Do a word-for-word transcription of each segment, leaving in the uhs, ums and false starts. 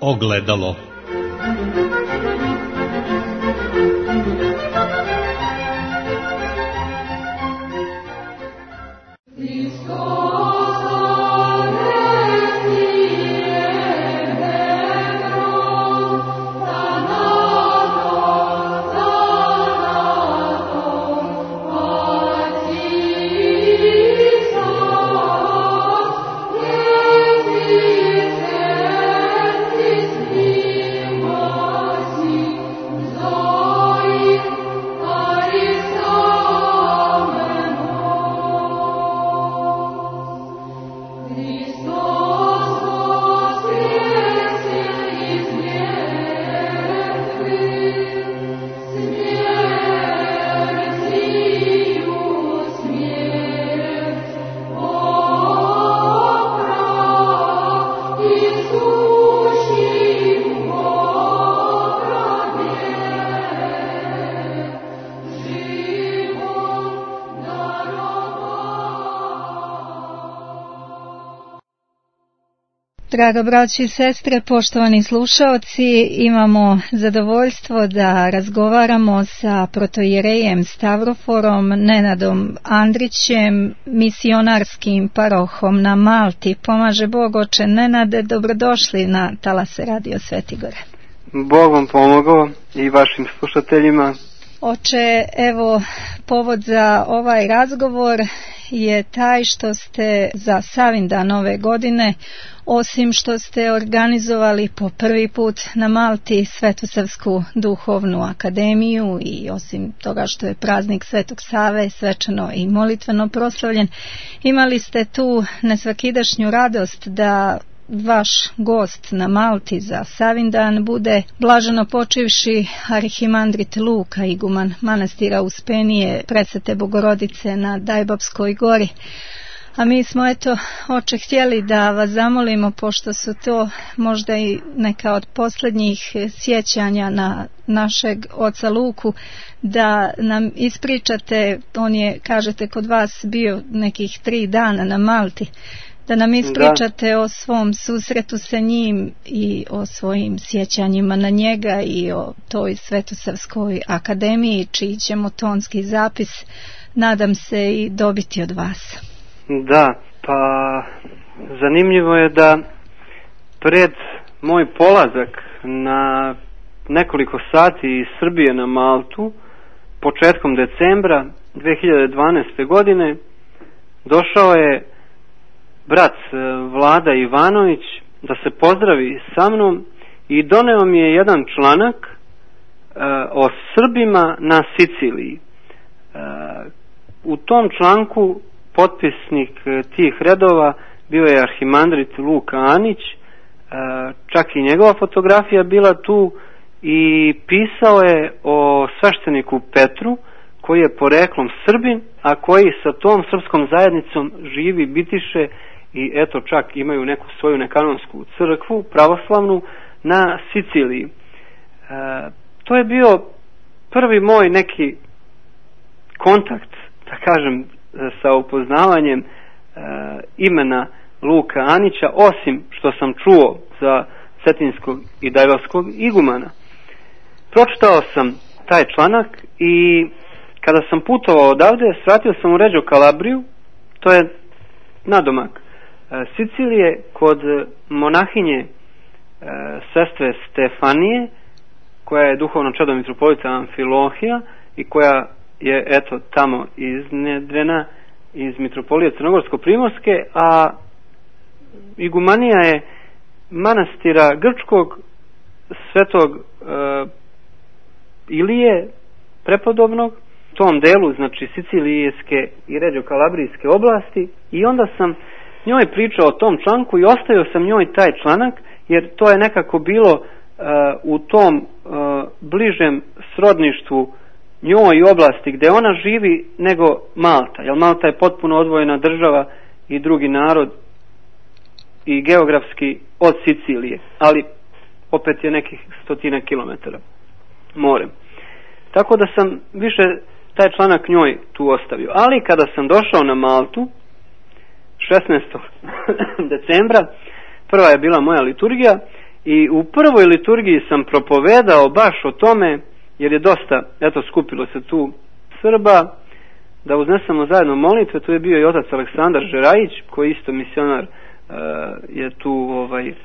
Ogledalo. Draga braći i sestre, poštovani slušaoci, imamo zadovoljstvo da razgovaramo sa protoijerejem Stavroforom Nenadom Andrićem, misionarskim parohom na Malti. Pomaže Bog, oče Nenade, dobrodošli na talase Radio Svetigore. Bog vam pomogao i vašim slušateljima. Oče, evo, povod za ovaj razgovor je taj što ste za Savindan ove godine, osim što ste organizovali po prvi put na Malti Svetosavsku duhovnu akademiju i osim toga što je praznik Svetog Save svečano i molitveno proslavljen, imali ste tu nesvakidašnju radost da vaš gost na Malti za Savindan bude blaženo počivši arhimandrit Luka, iguman manastira Uspenije Presvete Bogorodice na Dajbabskoj gori. A mi smo, eto, oče, htjeli da vas zamolimo, pošto su to možda i neka od posljednjih sjećanja na našeg oca Luku, da nam ispričate, on je, kažete, kod vas bio nekih tri dana na Malti, da nam ispričate da. o svom susretu sa njim i o svojim sjećanjima na njega i o toj Svetosavskoj akademiji, čiji ćemo tonski zapis, nadam se, i dobiti od vas. Da, pa zanimljivo je da pred moj polazak na nekoliko sati iz Srbije na Maltu, početkom decembra dve hiljade dvanaeste. godine, došao je brat Vlada Ivanović da se pozdravi sa mnom i doneo mi je jedan članak e, o Srbima na Siciliji. E, u tom članku potpisnik tih redova bio je arhimandrit Luka Anić, e, čak i njegova fotografija bila tu, i pisao je o svešteniku Petru, koji je poreklom Srbin, a koji sa tom srpskom zajednicom živi, bitiše i eto čak imaju neku svoju nekanonsku crkvu, pravoslavnu, na Siciliji. E, to je bio prvi moj neki kontakt, da kažem, sa upoznavanjem e, imena Luka Anića, osim što sam čuo za cetinskog i dajbavskog igumana. Pročitao sam taj članak i kada sam putovao odavde, svratio sam u Reggio Calabriju, to je nadomak Sicilije, kod monahinje e, sestre Stefanije, koja je duhovno čedo mitropolita Amfilohija i koja je eto tamo iznedrena iz mitropolije Crnogorsko-Primorske, a igumanija je manastira grčkog svetog e, Ilije prepodobnog, tom delu, znači Sicilijske i Reggio Calabrijske oblasti, i onda sam njoj pričao o tom članku i ostavio sam njoj taj članak, jer to je nekako bilo uh, u tom uh, bližem srodništvu njoj i oblasti gdje ona živi nego Malta, jer Malta je potpuno odvojena država i drugi narod i geografski od Sicilije, ali opet je nekih stotina kilometara morem. Tako da sam više taj članak njoj tu ostavio. Ali kada sam došao na Maltu šesnaestog decembra, prva je bila moja liturgija i u prvoj liturgiji sam propovedao baš o tome, jer je dosta, eto, skupilo se tu Srba, da uznesemo zajedno molitve. Tu je bio i otac Aleksandar Žerajić, koji isto misionar uh, je tu ovaj, uh,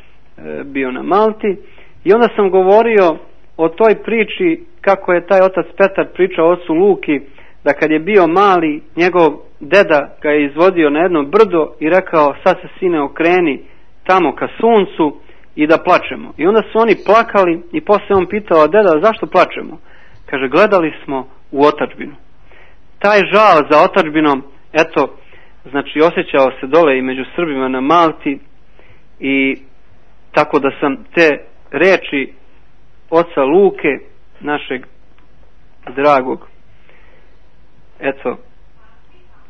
bio na Malti, i onda sam govorio o toj priči kako je taj otac Petar pričao ocu Luki, da kad je bio mali, njegov deda ga je izvodio na jedno brdo i rekao, sad se sine okreni tamo ka suncu i da plačemo. I onda su oni plakali i poslije on pitao, deda, zašto plačemo? Kaže, gledali smo u otadžbinu. Taj žal za otadžbinom, eto, znači osjećao se dole i među Srbima na Malti, i tako da sam te reči oca Luke, našeg dragog, eto,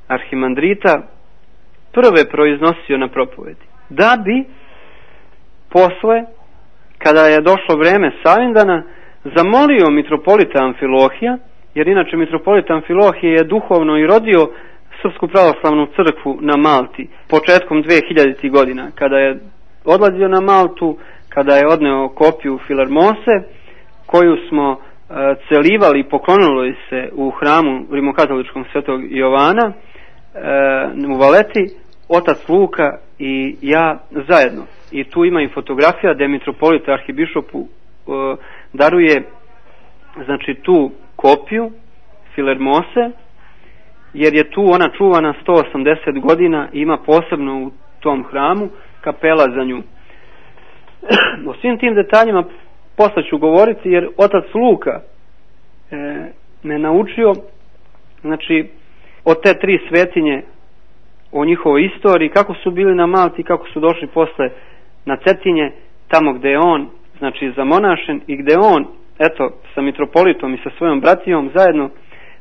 arhimandrita, prve proiznosio na propovedi. Da bi posle, kada je došlo vreme Savindana, zamolio mitropolita Amfilohija, jer inače mitropolita Amfilohije je duhovno i rodio Srpsku pravoslavnu crkvu na Malti početkom dve hiljaditih godina, kada je odlazio na Maltu, kada je odneo kopiju Filarmose, koju smo uh, celivali i poklonili se u hramu rimokatoličkom Svetog Jovana uh, u Valeti, otac Luka i ja zajedno. I tu ima i fotografija gdje mitropolita arhibišopu uh, daruje, znači, tu kopiju Filarmose, jer je tu ona čuvana sto osamdeset godina i ima posebno u tom hramu kapela za nju. O svim tim detaljima posle ću govoriti, jer otac Luka e, me naučio, znači, o te tri svetinje, o njihovoj istoriji, kako su bili na Malti, kako su došli posle na Cetinje, tamo gde je on, znači, zamonašen, i gde on, eto, sa mitropolitom i sa svojom bratijom zajedno,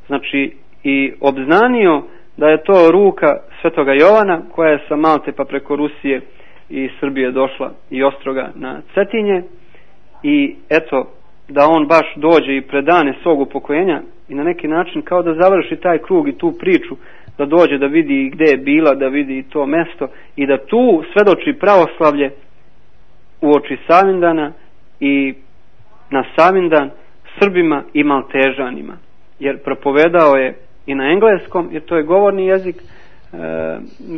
znači, i obznanio da je to ruka Svetoga Jovana, koja je sa Malte pa preko Rusije i Srbije došla i Ostroga na Cetinje, i eto, da on baš dođe i predane svog upokojenja i na neki način kao da završi taj krug i tu priču, da dođe da vidi gde je bila, da vidi to mesto i da tu svedoči pravoslavlje uoči Savindana i na Savindan Srbima i Maltežanima, jer propovedao je i na engleskom, jer to je govorni jezik, e,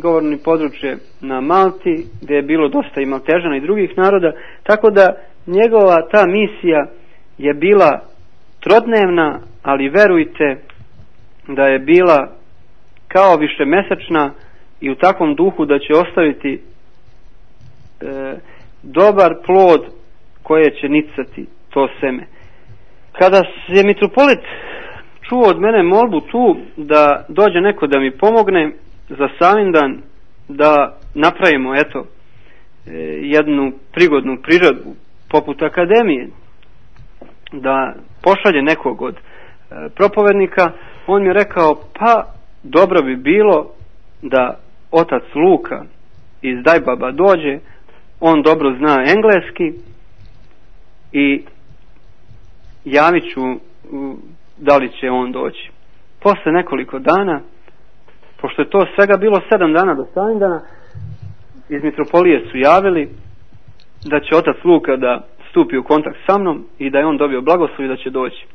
govorni područje na Malti, gdje je bilo dosta i Maltežana i drugih naroda, tako da njegova ta misija je bila trodnevna, ali verujte da je bila kao višemesečna i u takvom duhu da će ostaviti e, dobar plod koje će nicati to seme. Kada je mitropolit čuo od mene molbu tu da dođe neko da mi pomogne za Savindan, da napravimo, eto, jednu prigodnu priredbu poput akademije, da pošalje nekog od propovednika, on mi je rekao, pa dobro bi bilo da otac Luka iz Dajbaba dođe, on dobro zna engleski, i javit ću da li će on doći. Posle nekoliko dana, pošto je to svega bilo sedam dana do Savindana, iz mitropolije su javili da će otac Luka da stupi u kontakt sa mnom i da je on dobio blagoslov i da će doći.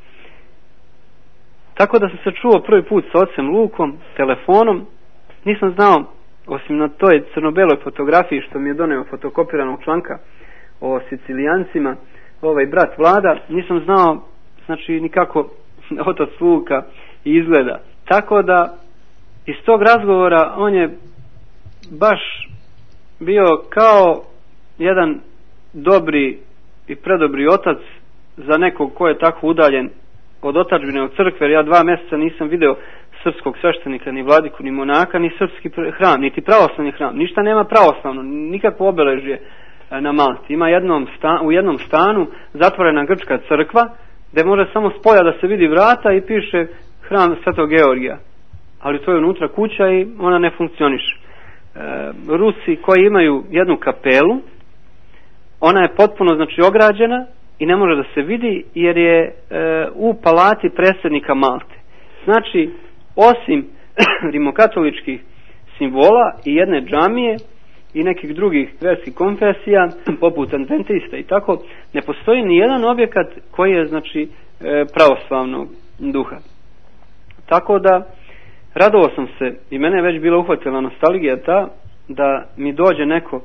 Tako da sam se čuo prvi put sa ocem Lukom telefonom. Nisam znao, osim na toj crno-beloj fotografiji što mi je doneo fotokopiranog članka o Sicilijancima, ovaj brat Vlada, nisam znao, znači, nikako otac Luka izgleda. Tako da iz tog razgovora on je baš bio kao jedan dobri i predobri otac za nekog ko je tako udaljen od otadžbine, od crkve, jer ja dva mjeseca nisam video srpskog sveštenika, ni vladiku, ni monaka, ni srpski hram, niti pravoslavni hram. Ništa nema pravoslavno, nikakvo obeležje na Malti. Ima jednom sta, u jednom stanu zatvorena grčka crkva, gdje može samo s polja da se vidi vrata i piše hram Svetog Georgija. Ali to je unutra kuća i ona ne funkcioniše. E, Rusi koji imaju jednu kapelu, ona je potpuno, znači, ograđena i ne može da se vidi, jer je e, u palati predsjednika Malte. Znači, osim rimokatoličkih simbola i jedne džamije i nekih drugih verskih konfesija, poput adventista i tako, ne postoji ni jedan objekat koji je, znači, pravoslavnog duha. Tako da, radovao sam se, i mene je već bila uhvatila nostalgija ta, da mi dođe neko,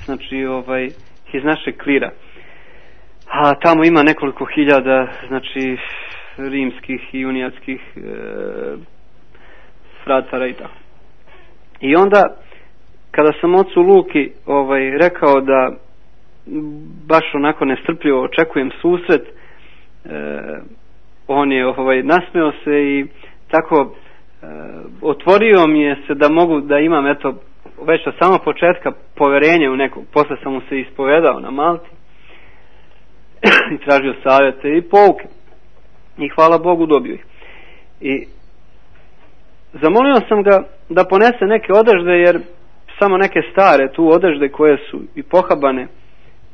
znači, ovaj, iz našeg klira. A tamo ima nekoliko hiljada, znači, rimskih i unijatskih e, fratara i tako. I onda, kada sam ocu Luki ovaj, rekao da baš onako nestrpljivo očekujem susret, e, on je ovaj, nasmeo se i tako e, otvorio mi je se da mogu da imam, eto, već od samog početka poverenje u nekog. Posle sam mu se ispovedao na Malti i tražio savjete i pouke. I hvala Bogu dobio ih. I zamolio sam ga da ponese neke odežde, jer samo neke stare tu odežde koje su i pohabane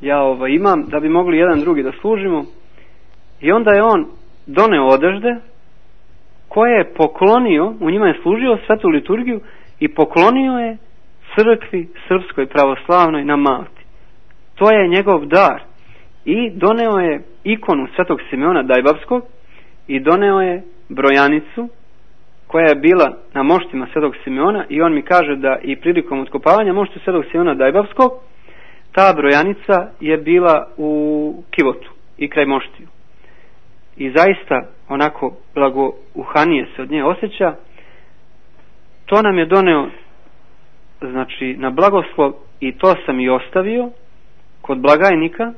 ja ovaj, imam, da bi mogli jedan drugi da služimo. I onda je on doneo odežde koje je poklonio, u njima je služio svetu liturgiju i poklonio je crkvi srpskoj pravoslavnoj na Malti. To je njegov dar. I doneo je ikonu svetog Simeona Dajbavskog i doneo je brojanicu koja je bila na moštima svetog Simeona, i on mi kaže da i prilikom otkopavanja mošti svetog Simeona Dajbavskog ta brojanica je bila u kivotu i kraj moštiju. I zaista onako blagouhanije se od nje osjeća. To nam je doneo, znači, na blagoslov, i to sam i ostavio kod blagajnika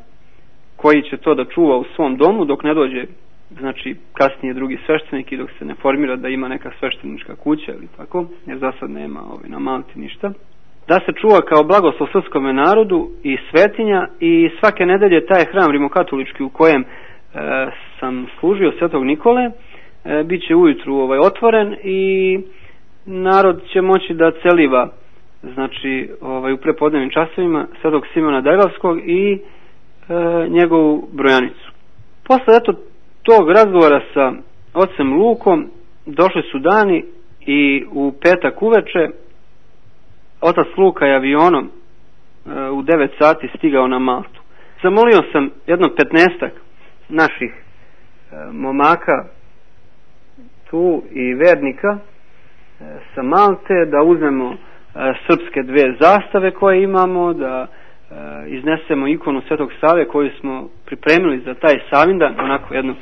koji će to da čuva u svom domu dok ne dođe, znači, kasnije drugi sveštenik i dok se ne formira da ima neka sveštenička kuća ili tako, jer za sad nema ovaj, na Malti ništa. Da se čuva kao blagoslov srpskome narodu i svetinja, i svake nedelje taj hram rimokatolički u kojem e, sam služio svetog Nikole e, bit će ujutru ovaj, otvoren i narod će moći da celiva, znači, ovaj, u prepodnevnim časovima svetog Simeona Dajbavskog i e, njegovu brojanicu. Posle eto tog razgovora sa ocem Lukom došli su dani i u petak uveče otac Luka je avionom e, u devet sati stigao na Maltu. Zamolio sam jedno petnaestak naših e, momaka tu i vernika e, sa Malte da uzmemo e, srpske dve zastave koje imamo, da e, iznesemo ikonu Svetog Save koju smo pripremili za taj Savindan, onako jednu e,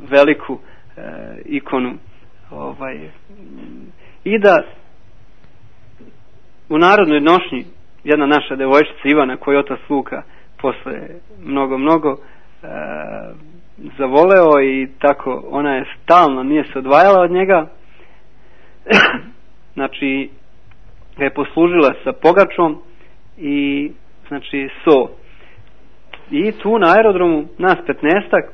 veliku e, ikonu, ovaj, i da u narodnoj nošnji jedna naša devojčica Ivana, koju otac Luka posle mnogo, mnogo e, zavoleo, i tako ona je stalno, nije se odvajala od njega, znači ga je poslužila sa pogačom i, znači, so. I tu na aerodromu nas petnaestak,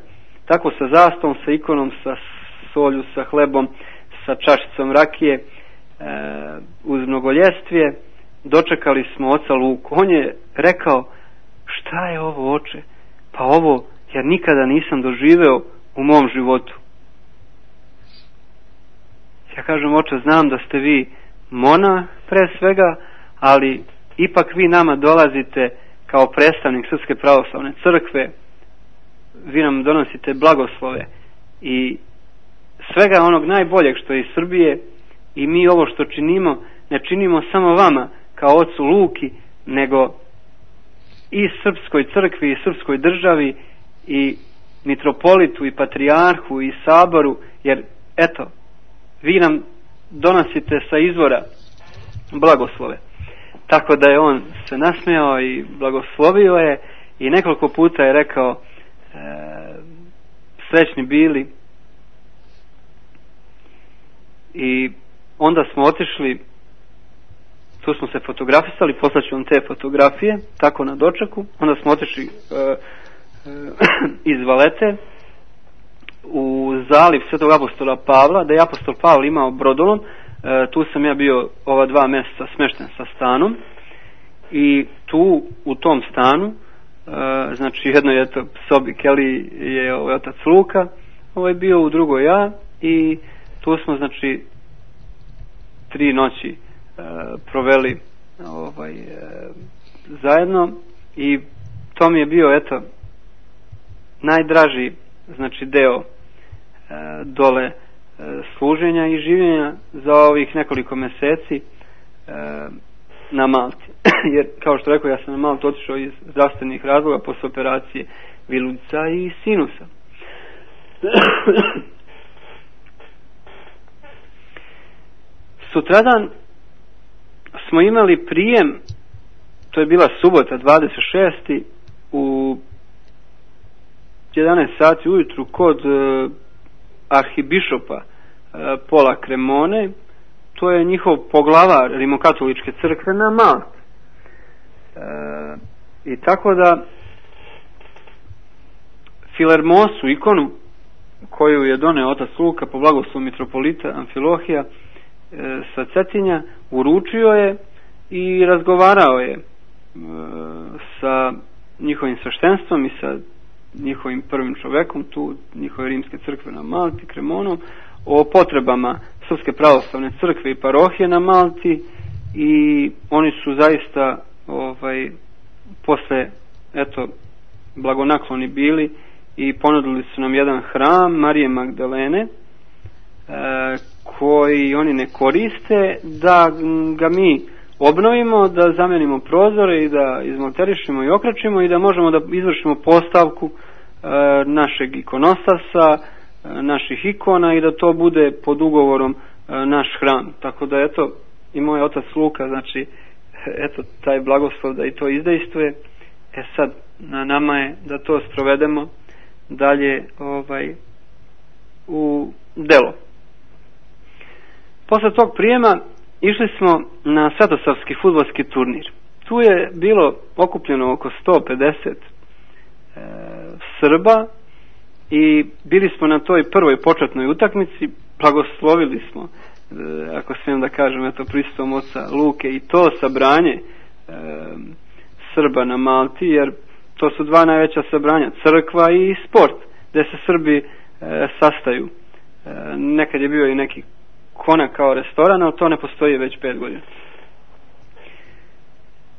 tako sa zastavom, sa ikonom, sa solju, sa hlebom, sa čašicom rakije, e, uz mnogoljestvije, dočekali smo oca Luku. On je rekao: šta je ovo, oče? Pa ovo ja nikada nisam doživeo u mom životu. Ja kažem: oče, znam da ste vi monah pre svega, ali ipak vi nama dolazite kao predstavnik Srpske pravoslavne crkve, vi nam donosite blagoslove i svega onog najboljeg što je iz Srbije, i mi ovo što činimo ne činimo samo vama kao ocu Luki, nego i Srpskoj crkvi i Srpskoj državi i mitropolitu i patrijarhu i saboru, jer eto, vi nam donosite sa izvora blagoslove. Tako da je on se nasmejao i blagoslovio je, i nekoliko puta je rekao: e, srećni bili. I onda smo otišli, tu smo se fotografisali, poslaću vam te fotografije, tako na dočeku. Onda smo otišli e, e, iz Valete u zaliv Svetog apostola Pavla, da je apostol Pavle imao brodolom. E, tu sam ja bio ova dva mjeseca smešten sa stanom, i tu u tom stanu, e, znači jednoj eto sobi Keli je ovaj otac Luka, ovaj bio u drugoj ja, i tu smo, znači, tri noći e, proveli ovaj, e, zajedno i to mi je bio eto najdraži znači deo e, dole e, služenja i življenja za ovih nekoliko meseci e, na Malti. Jer kao što rekao, ja sam na Maltu otišao iz zdravstvenih razloga posle operacije viludica i sinusa. Sutradan smo imali prijem, to je bila subota dvadeset šestog u jedanaest sati ujutru kod e, arhibišopa e, Pola Cremone, to je njihov poglavar rimokatoličke crkve na Malti. E, I tako da Filermosu, ikonu koju je doneo otac Luka po blagoslovu mitropolita Amfilohija e, sa Cetinja, uručio je i razgovarao je e, sa njihovim sveštenstvom i sa njihovim prvim čovekom tu, njihove rimske crkve na Malti, Cremonom, o potrebama Srpske pravoslavne crkve i parohije na Malti, i oni su zaista ovaj, posle eto blagonakloni bili i ponudili su nam jedan hram Marije Magdalene e, koji oni ne koriste, da ga mi obnovimo, da zamenimo prozore i da izmonterišemo i okračimo i da možemo da izvršimo postavku e, našeg ikonostasa, e, naših ikona, i da to bude pod ugovorom e, naš hram. Tako da eto i moj otac Luka, znači eto taj blagoslov da i to izdejstvuje. E sad na nama je da to sprovedemo dalje ovaj u delo. Posle tog prijema išli smo na svetosavski fudbalski turnir. Tu je bilo okupljeno oko sto pedeset e, Srba i bili smo na toj prvoj početnoj utakmici, blagoslovili smo, e, ako smijem da kažem, eto prisustvom oca Luke, i to sabranje e, Srba na Malti, jer to su dva najveća sabranja, crkva i sport, gde se Srbi e, sastaju. E, nekad je bio i neki Konak kao restoran, ali to ne postoji već pet godina.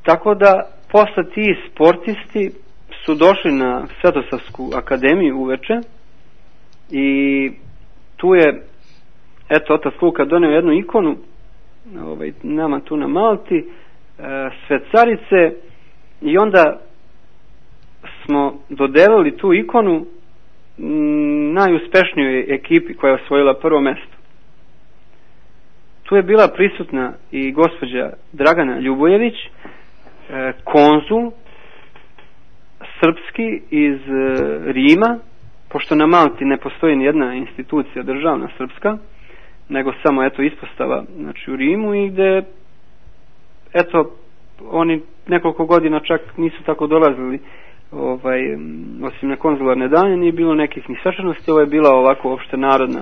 Tako da posle ti sportisti su došli na Svetosavsku akademiju uveče i tu je eto otac Luka doneo jednu ikonu ovaj, nama tu na Malti, e, Svetcarice, i onda smo dodelili tu ikonu m, najuspešnijoj ekipi koja je osvojila prvo mesto. Tu je bila prisutna i gospođa Dragana Ljubojević, e, konzul srpski iz e, Rima, pošto na Malti ne postoji ni jedna institucija državna srpska, nego samo eto ispostava, znači u Rimu, i gde eto oni nekoliko godina čak nisu tako dolazili, ovaj, osim na konzularne dane nije bilo nekih ni svečanosti. Ovo je bila ovako opšte narodna,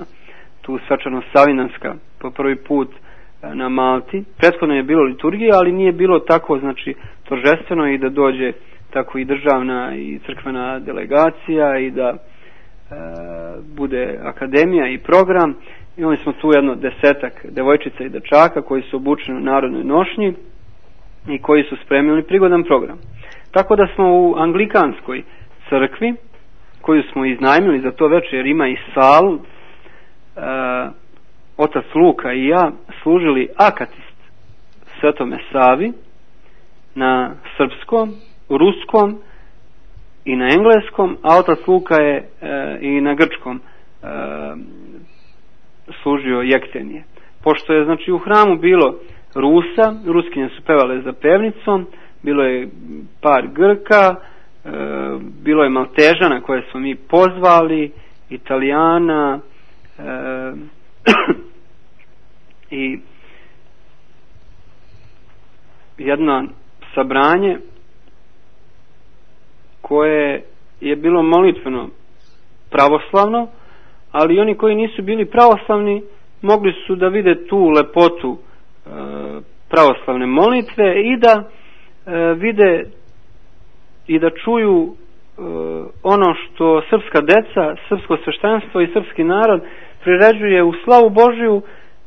tu svečanost savinanska po prvi put na Malti. Prethodno je bilo liturgija, ali nije bilo tako znači торжествено i da dođe tako i državna i crkvena delegacija i da e, bude akademija i program. Imali smo tu jedno desetak devojčica i dečaka koji su obučeni u narodnoj nošnji i koji su spremili prigodan program. Tako da smo u anglikanskoj crkvi, koju smo iznajmili za to večer, jer ima i salu, e, otac Luka i ja služili akatist Svetome Savi na srpskom, ruskom i na engleskom, a otac Luka je e, i na grčkom e, služio jektenije. Pošto je znači u hramu bilo Rusa, Ruskinje su pevale za pevnicom, bilo je par Grka, e, bilo je Maltežana koje smo mi pozvali, Italijana, e, i jedno sabranje koje je bilo molitveno pravoslavno, ali oni koji nisu bili pravoslavni mogli su da vide tu lepotu e, pravoslavne molitve i da e, vide i da čuju e, ono što srpska deca, srpsko sveštenstvo i srpski narod priređuje u slavu Božiju,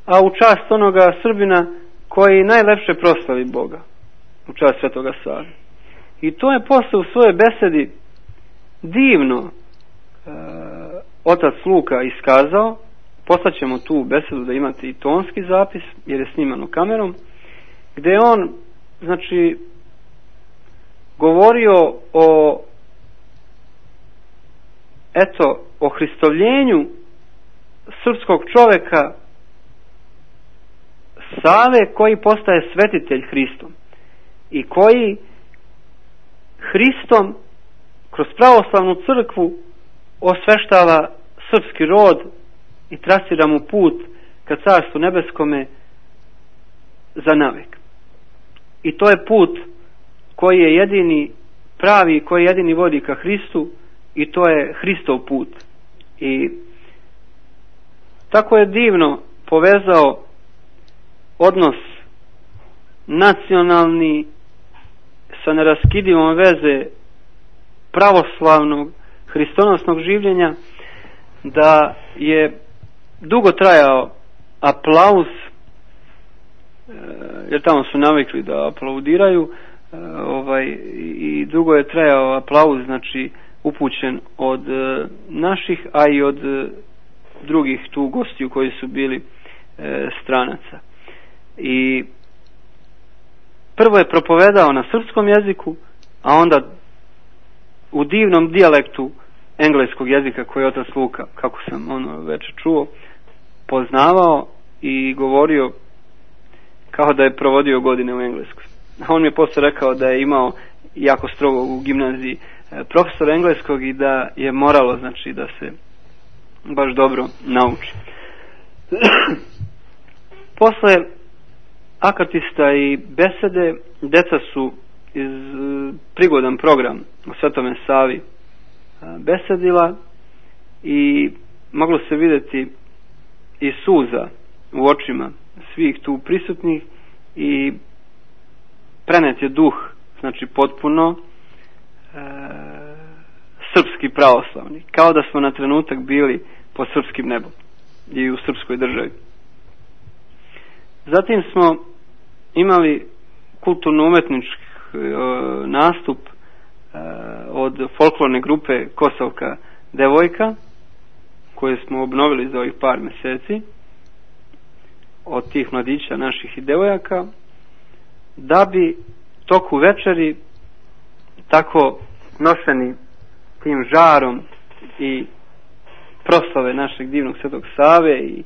a u čast onoga Srbina koji najlepše proslavi Boga. u čast Svetoga Save. I to je posle u svojoj besedi divno e, otac Luka iskazao. Poslaćemo tu besedu da imate i tonski zapis, jer je snimano kamerom, gdje je on, znači, govorio o eto, o hristovljenju srpskog čoveka Save, koji postaje svetitelj Hristom i koji Hristom kroz pravoslavnu crkvu osveštava srpski rod i trasira mu put ka Carstvu nebeskome za navek. I to je put koji je jedini pravi, koji jedini vodi ka Hristu, i to je Hristov put. I tako je divno povezao odnos nacionalni sa neraskidivom veze pravoslavnog hristonosnog življenja, da je dugo trajao aplauz, jer tamo su navikli da aplaudiraju, ovaj, i dugo je trajao aplauz, znači upućen od naših, a i od drugih tu gostiju koji su bili stranaca. I prvo je propovedao na srpskom jeziku, a onda u divnom dijalektu engleskog jezika koji je otac Luka, kako sam ono već čuo, poznavao i govorio kao da je provodio godine u Engleskoj. A on mi je posle rekao da je imao jako strogo u gimnaziji profesor engleskog i da je moralo, znači, da se baš dobro nauči. Posle akatista i besede, deca su iz prigodan program o Svetome Savi besedila i moglo se vidjeti i suza u očima svih tu prisutnih i prenet je duh, znači potpuno e, srpski pravoslavni, kao da smo na trenutak bili pod srpskim nebom i u srpskoj državi. Zatim smo imali kulturno-umetnički e, nastup e, od folklorne grupe Kosovka devojka, koje smo obnovili za ovih par mjeseci, od tih mladića naših i devojaka, da bi toku večeri, tako noseni tim žarom i proslave našeg divnog Svetog Save i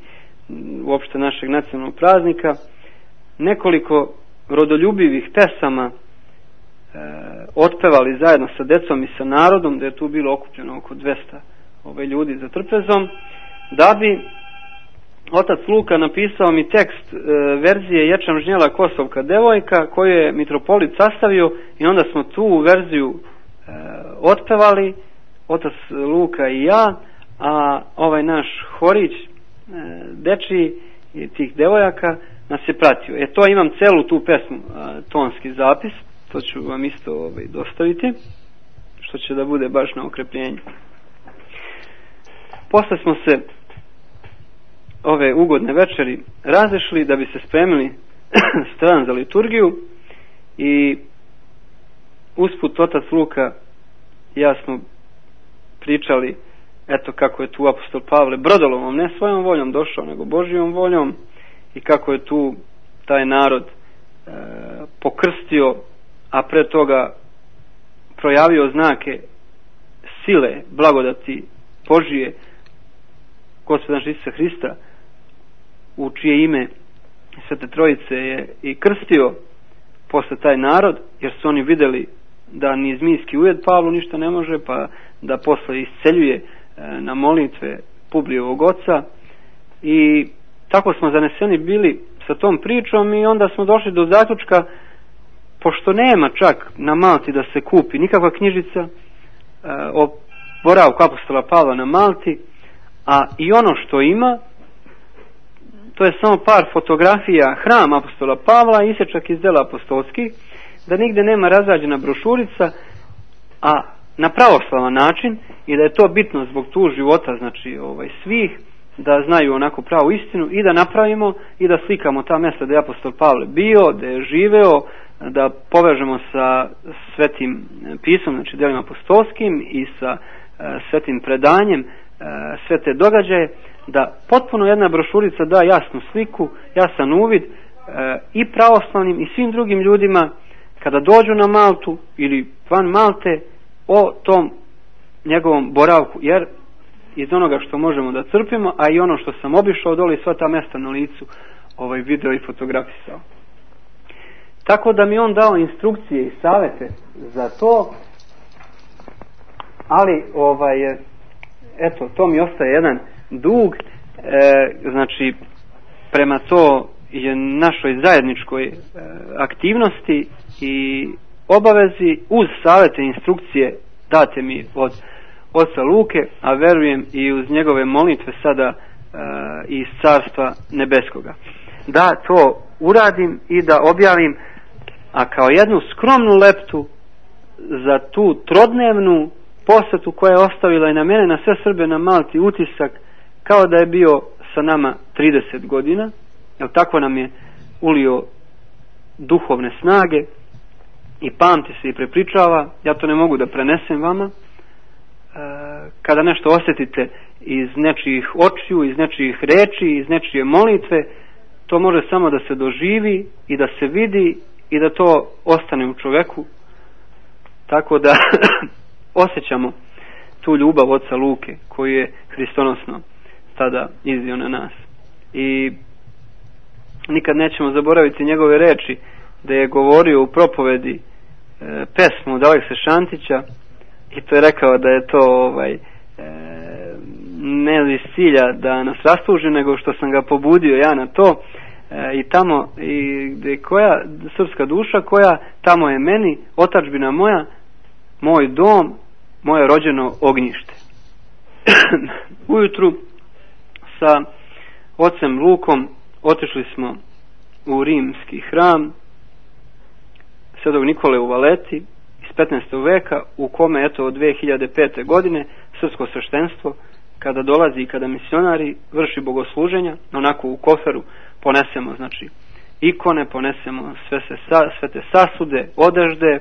uopšte našeg nacionalnog praznika, nekoliko rodoljubivih pesama e, otpevali zajedno sa decom i sa narodom, da je tu bilo okupljeno oko dvesta ove ljudi za trpezom, da bi otac Luka napisao mi tekst e, verzije Ječam žnjela Kosovka devojka, koju je mitropolit sastavio, i onda smo tu verziju e, otpevali, otac Luka i ja, a ovaj naš horić e, dečiji i tih devojaka nas je pratio. E to imam celu tu pesmu, a, tonski zapis, to ću vam isto ovaj, dostaviti, što će da bude baš na okrepljenju. Posle smo se ove ugodne večeri razešli da bi se spremili stran za liturgiju, i usput otac Luka i ja smo pričali eto kako je tu apostol Pavle brodolovom, ne svojom voljom došao, nego Božijom voljom, i kako je tu taj narod e, pokrstio, a pre toga projavio znake sile, blagodati Božije Gospoda Isusa Hrista, u čije ime Svete Trojice je i krstio posle taj narod, jer su oni vidjeli da ni zmijski ujed Pavlu ništa ne može, pa da posle isceljuje na molitve Publijevog oca, i tako smo zaneseni bili sa tom pričom, i onda smo došli do zaključka, pošto nema čak na Malti da se kupi nikakva knjižica e, o boravku apostola Pavla na Malti, a i ono što ima, to je samo par fotografija hrama apostola Pavla, isječak iz dela apostolskih, da nigde nema razrađena brošurica, a na pravoslavan način, i da je to bitno zbog tu života, znači ovaj, svih, da znaju onako pravu istinu, i da napravimo i da slikamo ta mjesta da je apostol Pavle bio, da je živeo, da povežemo sa Svetim pisom, znači djelima apostolskim i sa svetim predanjem, sve te događaje, da potpuno jedna brošurica da jasnu sliku, jasan uvid i pravoslavnim i svim drugim ljudima kada dođu na Maltu ili van Malte o tom njegovom boravku, jer iz onoga što možemo da crpimo, a i ono što sam obišao dole, sva ta mjesta na licu ovaj video i fotografisao. Tako da mi on dao instrukcije i savjete za to, ali ovaj, eto, to mi ostaje jedan dug, e, znači prema to je našoj zajedničkoj e, aktivnosti i obavezi uz savjete i instrukcije date mi od oca Luke, a verujem i uz njegove molitve sada e, iz Carstva Nebeskoga, da to uradim i da objavim, a kao jednu skromnu leptu za tu trodnevnu posjetu koja je ostavila i na mene, na sve Srbe na Malti utisak kao da je bio sa nama trideset godina, jer tako nam je ulio duhovne snage i pamti se i prepričava. Ja to ne mogu da prenesem vama. E, kada nešto osjetite iz nečijih očiju, iz nečijih reči, iz nečije molitve, to može samo da se doživi i da se vidi i da to ostane u čoveku, tako da osjećamo tu ljubav oca Luke koju je hristonosno tada iznio na nas. I nikad nećemo zaboraviti njegove reči da je govorio u propovedi e, pesmu od Alekse Šantića, i to je rekao da je to ovaj, e, ne iz cilja da nas rastuži, nego što sam ga pobudio ja na to. E, i tamo i gdje koja srpska duša koja tamo je meni otadžbina moja, moj dom, moje rođeno ognjište. Ujutru sa ocem Lukom otišli smo u rimski hram Svetog Nikole u Valeti iz petnaestog veka, u kome eto od dve hiljade pete. godine srpsko sveštenstvo kada dolazi i kada misionari vrši bogosluženja, onako u koferu ponesemo znači ikone, ponesemo sve, se, sve te sasude, odežde, e,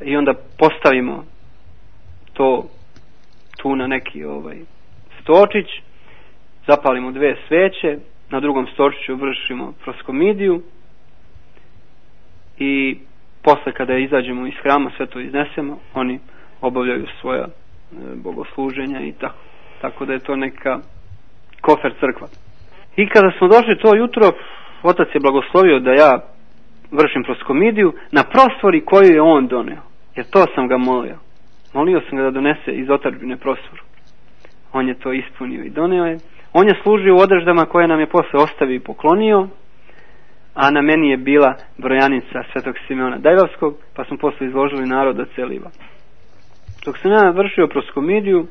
i onda postavimo to tu na neki ovaj stočić, zapalimo dve sveće, na drugom stočiću vršimo proskomidiju i posle kada izađemo iz hrama sve to iznesemo, oni obavljaju svoja e, bogosluženja i tako. Tako da je to neka kofer crkva. I kada smo došli to jutro, otac je blagoslovio da ja vršim proskomidiju na prostori koju je on doneo. Jer to sam ga molio. Molio sam ga da donese iz otadžbine prosvoru. On je to ispunio i doneo je. On je služio u odeždama koje nam je posle ostavio i poklonio, a na meni je bila brojanica Svetog Simeona Dajvavskog, pa smo posle izložili narod da celiva. Dok sam ja vršio proskomidiju,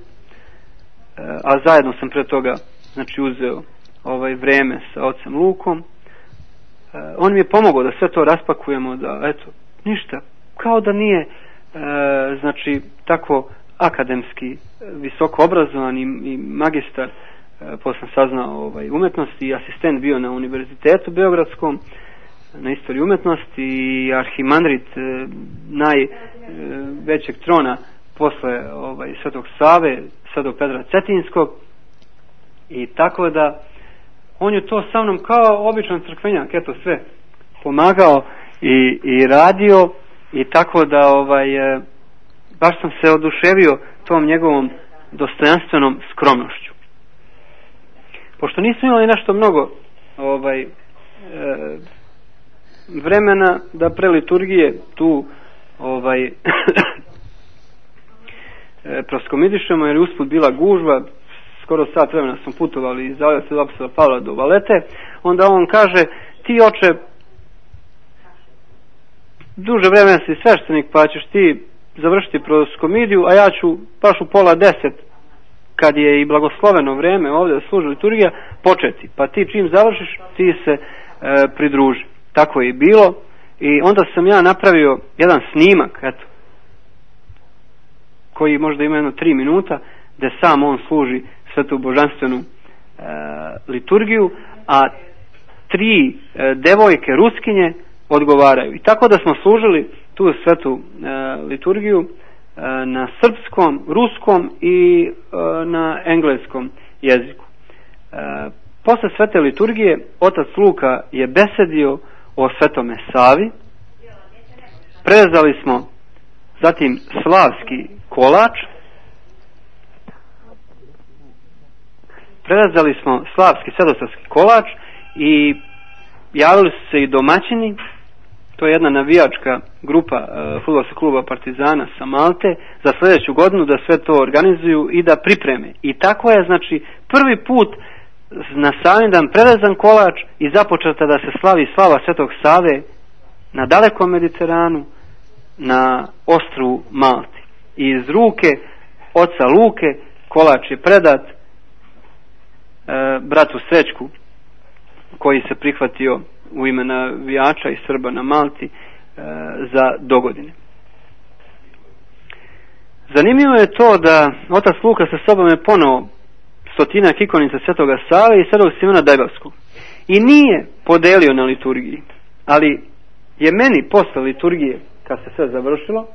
a zajedno sam pre toga znači uzeo ovaj vreme sa ocem Lukom, on mi je pomogao da sve to raspakujemo, da eto, ništa, kao da nije e, znači tako akademski visoko obrazovan i, i magistar, e, posle sam saznao ovaj, umetnosti i asistent bio na Univerzitetu Beogradskom na istoriji umetnosti i arhimandrit e, najvećeg trona posle ovaj, Svetog Save, Svetog Petra Cetinskog, i tako da on je to sa mnom kao običan crkvenjak, eto sve pomagao i, i radio, i tako da ovaj, e, baš sam se oduševio tom njegovom dostojanstvenom skromnošću. Pošto nismo imali nešto mnogo ovaj, e, vremena da pre liturgije tu ovaj, e, proskomidišemo, jer usput bila gužva, skoro sat vremena smo putovali iz Svetog apostolskog Pavla do Valete, onda on kaže, ti oče duže vremena si sveštenik, pa ćeš ti završiti proskomidiju, a ja ću baš u pola deset, kad je i blagosloveno vreme ovdje da služi liturgija, početi, pa ti čim završiš ti se e, pridruži. Tako je i bilo, i onda sam ja napravio jedan snimak, eto, koji možda ima jedno tri minuta, gdje sam on služi svetu božanstvenu e, liturgiju, a tri e, devojke Ruskinje odgovaraju. I tako da smo služili tu svetu e, liturgiju e, na srpskom, ruskom i e, na engleskom jeziku. E, posle svete liturgije otac Luka je besedio o Svetome Savi. Prezali smo zatim slavski kolač. Prezali smo slavski svetosavski kolač i javili su se i domaćini. To je jedna navijačka grupa e, fudbalskog kluba Partizana sa Malte za sljedeću godinu da sve to organizuju i da pripreme. I tako je, znači, prvi put na Savindan prerezan kolač i započeta da se slavi slava Svetog Save na dalekom Mediteranu, na ostrvu Malti. I iz ruke oca Luke kolač je predat e, bratu Srećku, koji se prihvatio u ime navijača i Srba na Malti e, za dogodine. Zanimljivo je to da otac Luka sa sobom je poneo stotinak ikonica Svetoga Save i Svetog Simona Dajbavskog. I nije podelio na liturgiji, ali je meni posle liturgije, kad se sve završilo,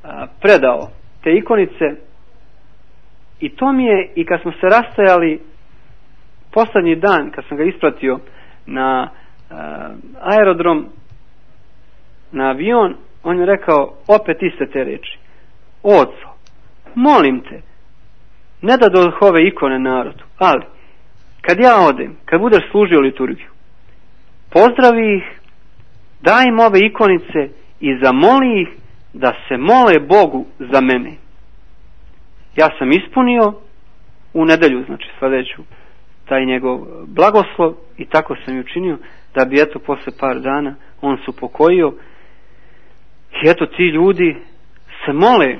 a, predao te ikonice i to mi je, i kad smo se rastajali poslednji dan, kad sam ga ispratio na a, aerodrom, na avion, on je rekao opet iste te reči: oco, molim te, ne da dođu ove ikone narodu, ali kad ja odem, kad budeš služio liturgiju, pozdravi ih, daj im ove ikonice i zamoli ih da se mole Bogu za mene. Ja sam ispunio u nedelju, znači sljedeću, taj njegov blagoslov i tako sam i učinio, da bi eto posle par dana on se upokojio i eto ti ljudi se mole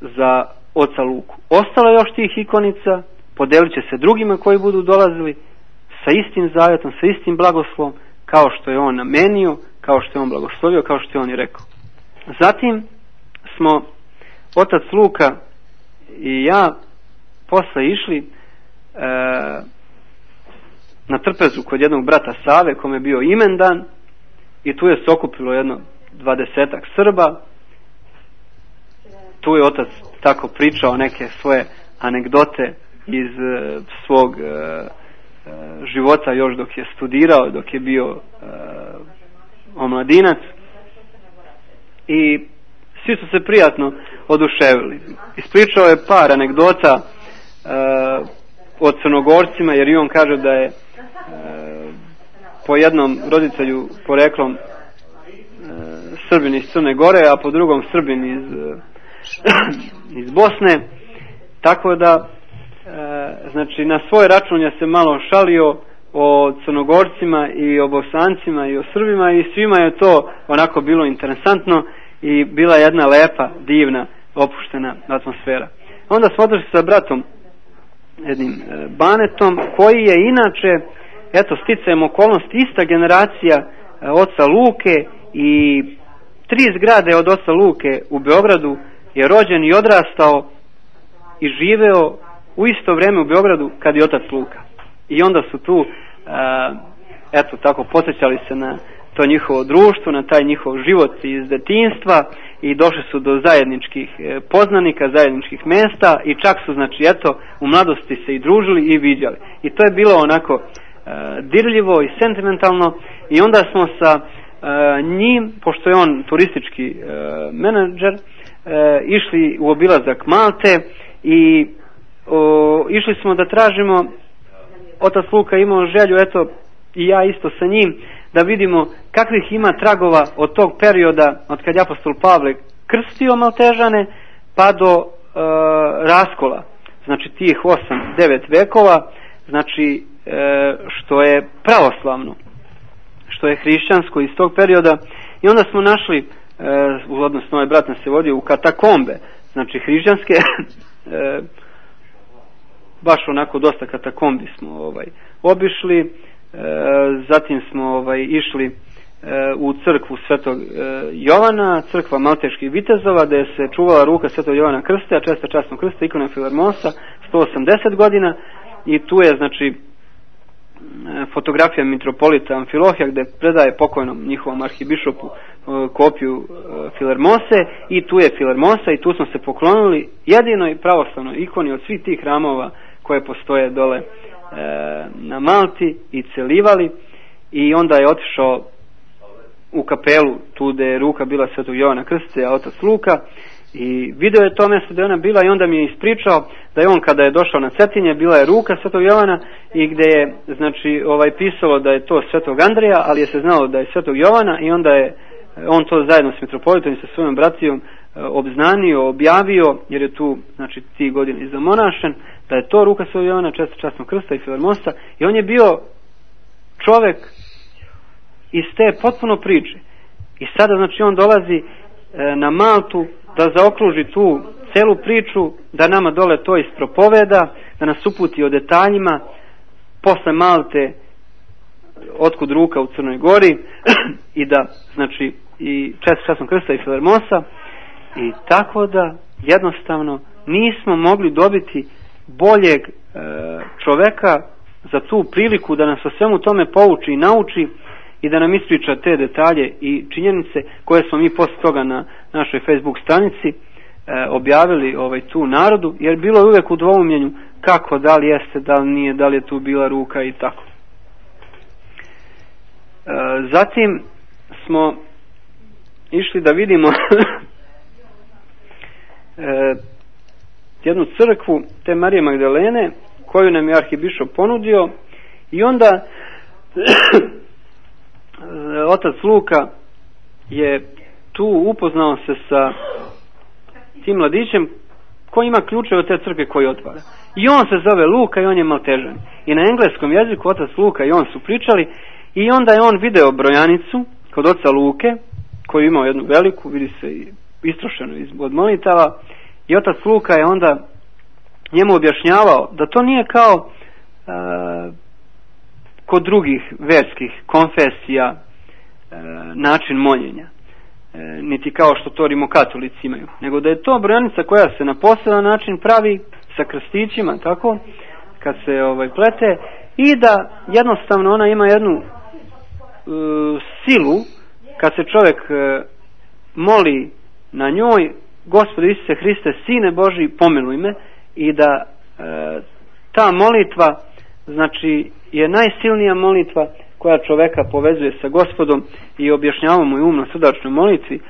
za oca Luku. Ostalo je još tih ikonica, podelit će se drugima koji budu dolazili sa istim zavjetom, sa istim blagoslovom, kao što je on namenio, kao što je on blagoslovio, kao što je on i rekao. Zatim smo otac Luka i ja posle išli e, na trpezu kod jednog brata Save, kome je bio imendan, i tu je se okupilo jedno dvadesetak Srba. Tu je otac tako pričao neke svoje anegdote iz e, svog e, e, života još dok je studirao, dok je bio e, omladinac, i svi su se prijatno oduševili. Ispričao je par anegdota e, o Crnogorcima, jer i on kaže da je e, po jednom roditelju poreklom e, Srbin iz Crne Gore, a po drugom Srbin iz e, iz Bosne, tako da e, znači na svoj račun je se malo šalio o Crnogorcima i o Bosancima i o Srbima i svima je to onako bilo interesantno i bila jedna lepa, divna, opuštena atmosfera. Onda smo održali sa bratom jednim e, Banetom, koji je inače, eto, sticajem okolnosti, ista generacija e, oca Luke, i tri zgrade od oca Luke u Beogradu je rođen i odrastao i živeo u isto vrijeme u Beogradu kad je otac Luka. I onda su tu a, eto tako podsjećali se na to njihovo društvo, na taj njihov život iz detinjstva i došli su do zajedničkih poznanika, zajedničkih mjesta i čak su, znači, eto, u mladosti se i družili i viđali. I to je bilo onako a, dirljivo i sentimentalno, i onda smo sa a, njim, pošto je on turistički a, menadžer, E, išli u obilazak Malte i o, išli smo da tražimo, otac Luka imao želju, eto i ja isto sa njim, da vidimo kakvih ima tragova od tog perioda od kad je apostol Pavle krstio Maltežane pa do e, raskola, znači tih osam devet vekova, znači e, što je pravoslavno, što je hrišćansko iz tog perioda. I onda smo našli, Uh, odnosno ovaj brat nas se vodio u katakombe, znači hrišćanske, e, baš onako dosta katakombi smo ovaj obišli, e, zatim smo ovaj išli e, u crkvu Svetog e, Jovana, crkva Malteških vitezova, gdje se čuvala ruka Svetog Jovana Krste, a česta časnog krsta, ikona Filarmosa, sto osamdeset godina, i tu je, znači, fotografija mitropolita Amfilohija gdje predaje pokojnom njihovom arhibišopu kopiju Filermose i tu je Filermosa i tu smo se poklonili jedinoj pravoslavnoj ikoni od svih tih hramova koje postoje dole na Malti i celivali, i onda je otišao u kapelu tu gdje je ruka bila Svetog Jovana Krstitelja, a otac Luka, i video je to mjesto gdje ona bila i onda mi je ispričao da je on kada je došao na Cetinje bila je ruka Svetog Jovana i gdje je znači ovaj pisalo da je to Svetog Andreja, ali je se znalo da je Svetog Jovana i onda je on to zajedno s mitropolitom i sa svojom bratijom obznanio, objavio, jer je tu znači ti godine zamonašen, da je to ruka Svetog Jovana, časnog krsta i Filermosa, i on je bio čovjek iz te potpuno priče. I sada znači on dolazi e, na Maltu da zaokruži tu celu priču, da nama dole to ispropoveda, da nas uputi o detaljima, posle Malte otkud ruka u Crnoj Gori i da znači i časnog krsta i Filermosa, i tako da jednostavno nismo mogli dobiti boljeg e, čoveka za tu priliku da nas o svemu tome pouči i nauči i da nam ispriča te detalje i činjenice koje smo mi posle toga na našoj Facebook stranici e, objavili ovaj, tu narodu, jer bilo je uvijek u dvoumljenju kako, da li jeste, da li nije, da li je tu bila ruka i tako. E, zatim smo išli da vidimo e, jednu crkvu te Marije Magdalene koju nam je arhibišop ponudio, i onda otac Luka je tu upoznao se sa tim mladićem koji ima ključeve od te crkve koji otvara, i on se zove Luka i on je Maltežan, i na engleskom jeziku otac Luka i on su pričali, i onda je on video brojanicu kod oca Luke koju imao jednu veliku, vidi se istrošenu od molitava, i otac Luka je onda njemu objašnjavao da to nije kao a, kod drugih verskih konfesija e, način moljenja, e, niti kao što to rimokatolici imaju, nego da je to brojanica koja se na poseban način pravi sa krstićima, tako, kad se ovaj plete, i da jednostavno ona ima jednu e, silu kad se čovjek e, moli na njoj: Gospode Isuse Hriste, Sine Božji, pomiluj me, i da e, ta molitva znači je najsilnija molitva koja čoveka povezuje sa Gospodom, i objašnjava mu i um na sudačnoj molitvi.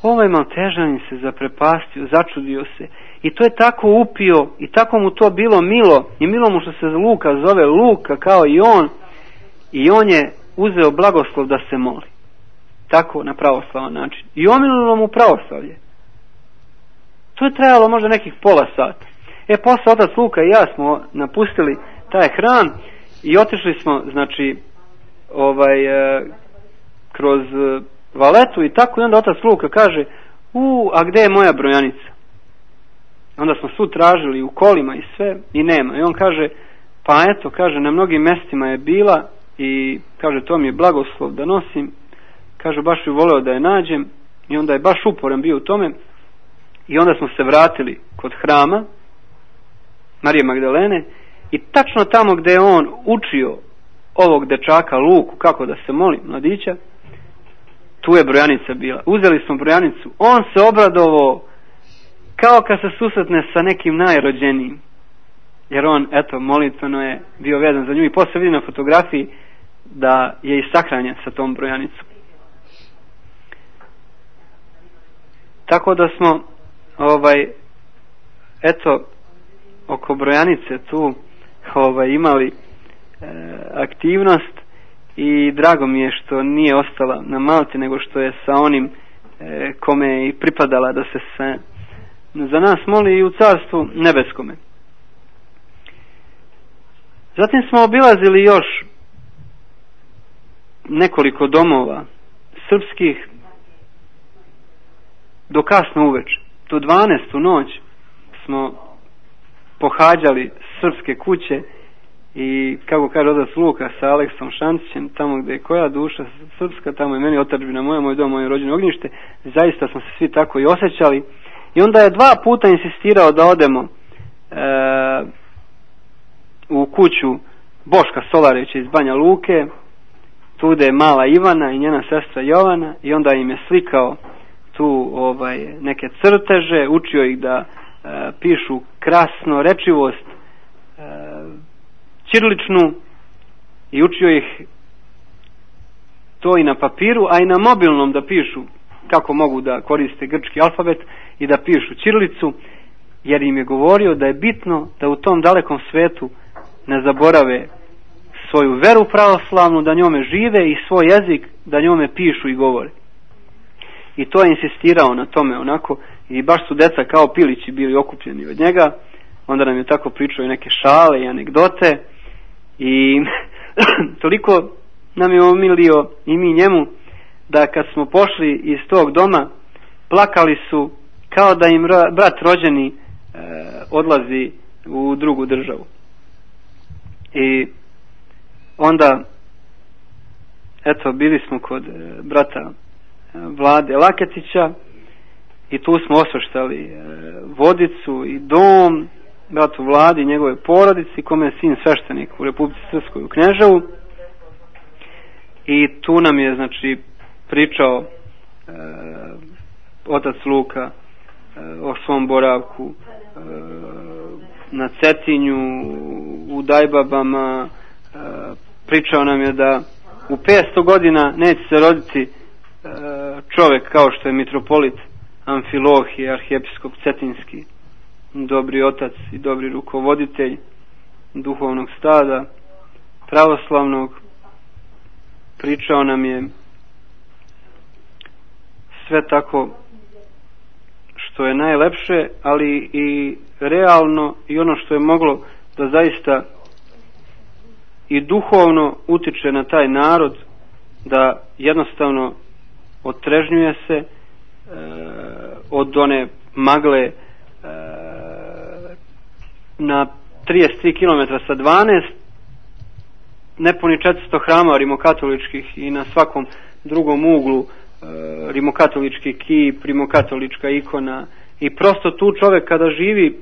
Ovaj Maltežanin se zaprepastio, začudio se, i to je tako upio i tako mu to bilo milo, i milo mu što se Luka zove Luka kao i on, i on je uzeo blagoslov da se moli tako na pravoslavan način i omililo mu pravoslavlje. To je trajalo možda nekih pola sata. E, posle otac Luka i ja smo napustili taj hram i otišli smo znači ovaj e, kroz e, Valetu i tako, i onda otac Luka kaže: u, a gde je moja brojanica? Onda smo svu tražili u kolima i sve i nema. I on kaže: pa eto, kaže, na mnogim mestima je bila i kaže, to mi je blagoslov da nosim. Kaže, baš bi voleo da je nađem. I onda je baš uporan bio u tome. I onda smo se vratili kod hrama Marije Magdalene i tačno tamo gde je on učio ovog dečaka Luku kako da se moli, mladića, tu je brojanica bila. Uzeli smo brojanicu, on se obradovao kao kad se susretne sa nekim najrođenijim, jer on, eto, molitveno je bio vezan za nju, i posle vidi na fotografiji da je i sahranjen sa tom brojanicom. Tako da smo ovaj eto oko brojanice tu ovaj imali e, aktivnost, i drago mi je što nije ostala na Malti, nego što je sa onim e, kome je i pripadala da se sve za nas moli i u Carstvu nebeskome. Zatim smo obilazili još nekoliko domova srpskih do kasno uveče. Do dvanaestu noć smo pohađali srpske kuće i, kako kaže otac Luka, sa Aleksom Šančićem, tamo gdje je koja duša srpska, tamo je meni otadžbina moja, moj dom, moje rođeno ognjište. Zaista smo se svi tako i osjećali. I onda je dva puta insistirao da odemo e, u kuću Boška Solarevića iz Banja Luke, tu je mala Ivana i njena sestra Jovana, i onda im je slikao tu ovaj, neke crteže, učio ih da e, pišu krasno rečivost e, ćiriličnu, i učio ih to i na papiru, a i na mobilnom da pišu kako mogu da koriste grčki alfabet i da pišu ćirilicu, jer im je govorio da je bitno da u tom dalekom svetu ne zaborave svoju veru pravoslavnu, da njome žive, i svoj jezik da njome pišu i govore. I to je insistirao na tome onako, i baš su deca kao pilići bili okupljeni od njega. Onda nam je tako pričao i neke šale i anegdote, i toliko nam je omilio i mi njemu, da kad smo pošli iz tog doma, plakali su kao da im brat rođeni e, odlazi u drugu državu. I onda, eto, bili smo kod e, brata e, Vlade Laketića, i tu smo osveštali e, vodicu i dom bratu Vladi i njegove porodici, kome je sin sveštenik u Republici Srpskoj u Kneževu. I tu nam je, znači, pričao e, otac Luka e, o svom boravku e, na Cetinju, u Dajbabama. E, pričao nam je da u petsto godina neće se roditi e, čovjek kao što je mitropolit Amfilohije, arhijepiskop Cetinski, dobri otac i dobri rukovoditelj duhovnog stada pravoslavnog. Pričao nam je sve tako što je najlepše, ali i realno, i ono što je moglo da zaista i duhovno utiče na taj narod, da jednostavno otrežnjuje se e, od one magle e, na trideset tri kilometra sa dvanaest, nepuni četiristo hrama rimokatoličkih, i na svakom drugom uglu e, rimokatolički kip, rimokatolička ikona, i prosto tu čovjek kada živi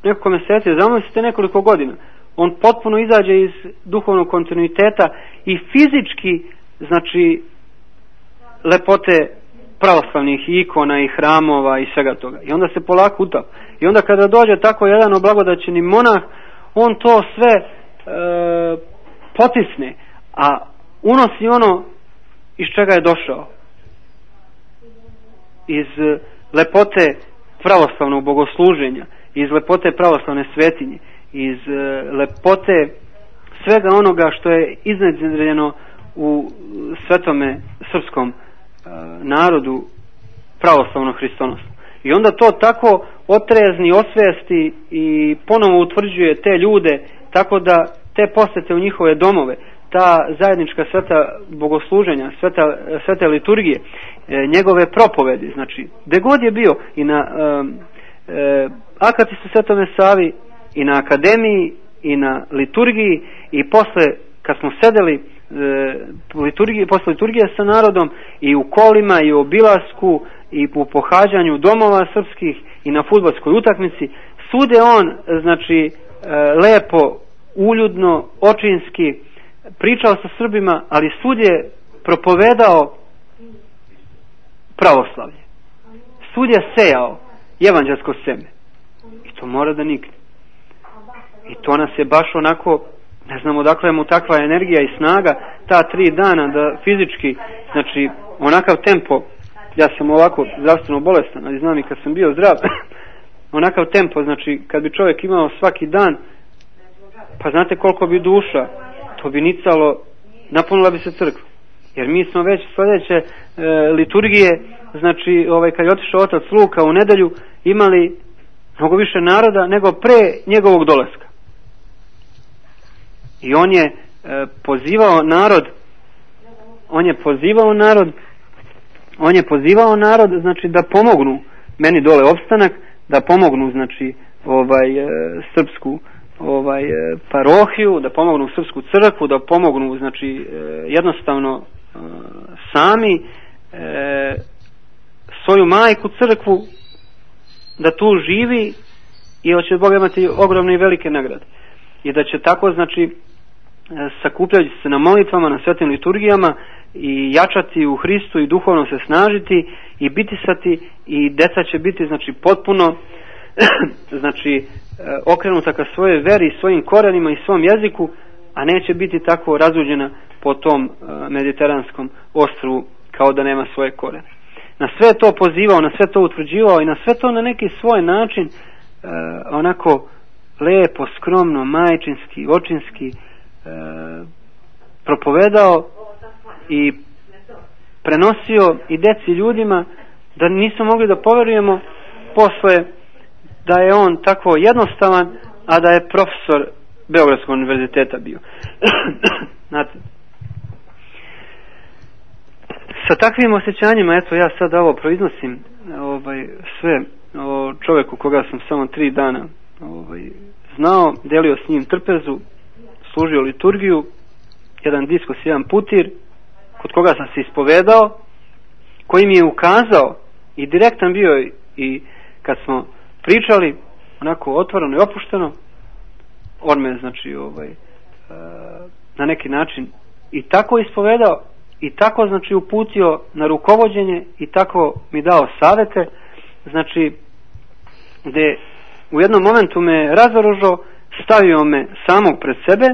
nekoliko mjeseci, zamislite nekoliko godina, on potpuno izađe iz duhovnog kontinuiteta i fizički, znači, lepote pravoslavnih ikona i hramova i svega toga. I onda se polako utapa. I onda kada dođe tako jedan oblagodaćeni monah, on to sve e, potisne, a unosi ono iz čega je došao. Iz lepote pravoslavnog bogosluženja, iz lepote pravoslavne svetinje, iz lepote svega onoga što je iznedreno u svetome srpskom narodu pravoslavno hristonosno. I onda to tako otrezni, osvijesti i ponovo utvrđuje te ljude, tako da te posete u njihove domove, ta zajednička sveta bogosluženja, sveta, svete liturgije, njegove propovedi, znači, gde god je bio, i na e, e, Akatisu Svetome Savi, i na akademiji, i na liturgiji, i posle, kad smo sedeli e, liturgije, posle liturgije sa narodom, i u kolima, i u obilasku, i u pohađanju domova srpskih, i na fudbalskoj utakmici, svude on, znači, e, lepo, uljudno, očinski pričao sa Srbima, ali svud je propovedao pravoslavlje. Svud je sejao evanđelsko seme. I to mora da nikne. I to nas je baš onako, ne znamo odakle mu takva energija i snaga, ta tri dana da fizički, znači onakav tempo, ja sam ovako zdravstveno bolestan, ali znam i kad sam bio zdrav, onakav tempo, znači kad bi čovjek imao svaki dan, pa znate koliko bi duša, to bi nicalo, napunila bi se crkva. Jer mi smo već sljedeće e, liturgije, znači ovaj, kad je otišao otac Luka u nedelju, imali mnogo više naroda nego pre njegovog dolaska. I on je e, pozivao narod, on je pozivao narod, on je pozivao narod, znači da pomognu meni dole opstanak, da pomognu, znači, ovaj, e, srpsku ovaj e, parohiju, da pomognu srpsku crkvu, da pomognu, znači, e, jednostavno e, sami e, svoju majku crkvu, da tu živi i hoće Bog imati ogromne i velike nagrade. I da će tako, znači, sakupljajući se na molitvama, na svetim liturgijama i jačati u Hristu i duhovno se snažiti i bitisati, i deca će biti znači potpuno znači okrenuta ka svojoj veri, svojim korenima i svom jeziku, a neće biti tako razuđena po tom mediteranskom ostrvu kao da nema svoje korene. Na sve to pozivao, na sve to utvrđivao i na sve to na neki svoj način onako lepo, skromno, majčinski, očinski propovedao i prenosio i deci ljudima, da nismo mogli da poverujemo posle da je on tako jednostavan, a da je profesor Beogradskog univerziteta bio. Znate, sa takvim osjećanjima, eto ja sad ovo proiznosim ovaj, sve o čovjeku koga sam samo tri dana ovaj, znao, delio s njim trpezu, služio liturgiju, jedan diskos, jedan putir, kod koga sam se ispovedao, koji mi je ukazao i direktan bio, i kad smo pričali onako otvoreno i opušteno, on me znači ovaj, na neki način i tako ispovedao i tako znači uputio na rukovođenje i tako mi dao savete, znači gde u jednom momentu me razoružao, stavio me samog pred sebe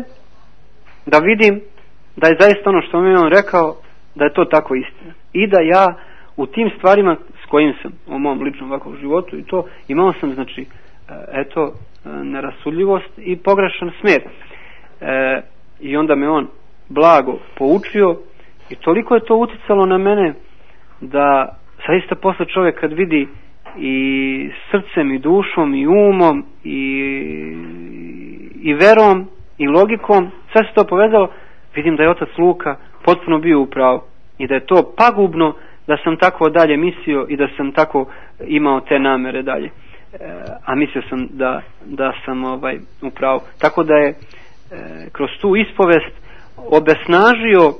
da vidim da je zaista ono što mi je on rekao, da je to tako istina i da ja u tim stvarima s kojim sam u mom ličnom ovakvom životu i to imao sam znači eto nerasudljivost i pogrešan smer, e, i onda me on blago poučio i toliko je to uticalo na mene da zaista posle čovjek kad vidi i srcem i dušom i umom i, i verom i logikom, sve se to povezalo, vidim da je otac Luka potpuno bio u pravu i da je to pagubno da sam tako dalje mislio i da sam tako imao te namere dalje, e, a mislio sam da, da sam ovaj, u pravu. Tako da je e, kroz tu ispovest obesnažio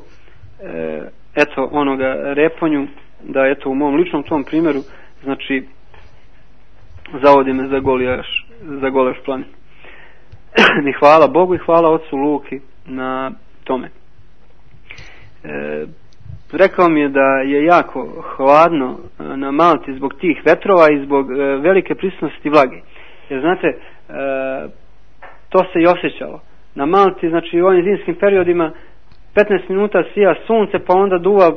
e, eto onoga Reponju, da eto u mom ličnom tom primjeru znači zavodi me za Golijaš, za Golaš planin. I hvala Bogu i hvala ocu Luki na tome. E, rekao mi je da je jako hladno na Malti zbog tih vetrova i zbog e, velike prisutnosti vlage. Jer znate, e, to se i osjećalo. Na Malti, znači u ovim zimskim periodima petnaest minuta sija sunce, pa onda duva